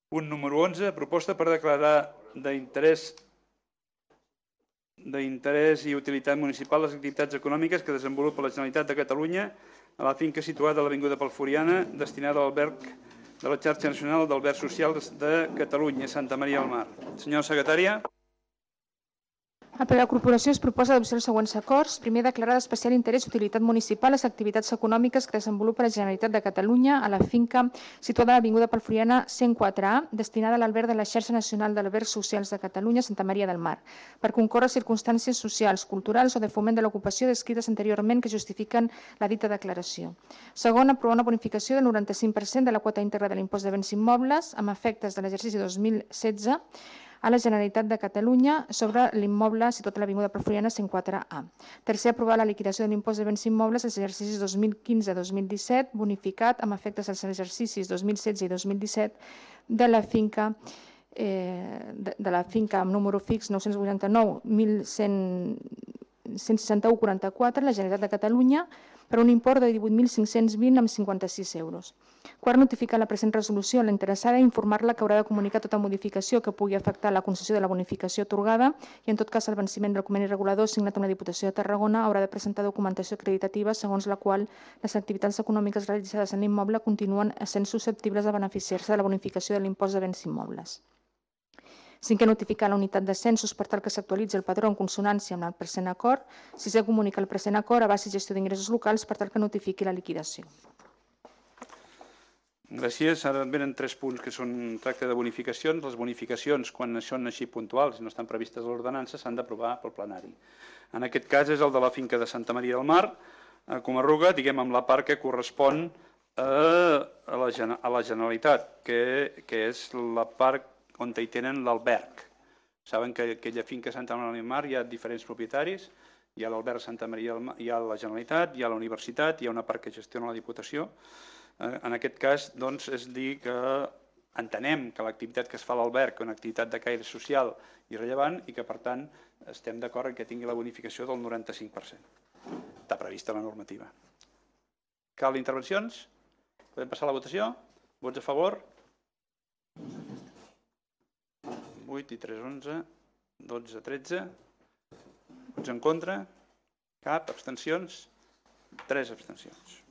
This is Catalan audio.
Punt número 11, proposta per declarar d'interès i utilitat municipal les activitats econòmiques que desenvolupa la Generalitat de Catalunya a la finca situada a l'Avinguda Palfuriana, destinada a l'alberg de la xarxa nacional d'albergs socials de Catalunya, Santa Maria del Mar. Senyora secretària. Per la corporació es proposa adoptar els següents acords. Primer, declarar d'especial interès i utilitat municipal les activitats econòmiques que desenvolupa la Generalitat de Catalunya a la finca situada a l'Avinguda Palfuriana 104A, destinada a l'alberg de la xarxa nacional d'albergs socials de Catalunya, Santa Maria del Mar, per concórrer circumstàncies socials, culturals o de foment de l'ocupació descrites anteriorment que justifiquen la dita declaració. Segon, aprovar una bonificació del 95% de la quota íntegra de l'impost de béns immobles amb efectes de l'exercici 2016 a la Generalitat de Catalunya sobre l'immoble situat a l'Avinguda Palfuriana 104A. Tercer, aprovar la liquidació de l'impost de béns immobles als exercicis 2015-2017, bonificat amb efectes als exercicis 2016 i 2017 de la finca amb número fix 989 16144, la Generalitat de Catalunya, per un import de 18.520 amb 56 euros. Quart, notificar la present resolució a la interessada i informar-la que haurà de comunicar tota modificació que pugui afectar la concessió de la bonificació atorgada i, en tot cas, el venciment del conveni regulador signat amb la Diputació de Tarragona haurà de presentar documentació acreditativa segons la qual les activitats econòmiques realitzades en l'immoble continuen sent susceptibles de beneficiar-se de la bonificació de l'impost de béns immobles. Cinquè, notificar la unitat de censos per tal que s'actualitzi el padró en consonància amb el present acord. Sisè, comunicar el present acord a base i gestió d'ingressos locals per tal que notifiqui la liquidació. Gràcies. Ara venen 3 punts que tracta de bonificacions. Les bonificacions, quan són així puntuals i no estan previstes a l'ordenança, s'han d'aprovar pel plenari. En aquest cas és el de la finca de Santa Maria del Mar, a Comarruga, diguem amb la part que correspon a la Generalitat, que és la part on hi tenen l'alberg. Saben que aquella finca Santa Maria del Mar hi ha diferents propietaris, hi ha l'alberg Santa Maria del Mar, hi ha la Generalitat, hi ha la Universitat, hi ha una part que gestiona la Diputació. En aquest cas, doncs, és dir que entenem que l'activitat que es fa a l'alberg és una activitat de caire social i rellevant i que, per tant, estem d'acord en que tingui la bonificació del 95%. Està prevista la normativa. Cal intervencions? Podem passar a la votació? Vots a favor? 8 i 3, 11, 12, 13. Vots en contra? Cap. Abstencions? 3 abstencions.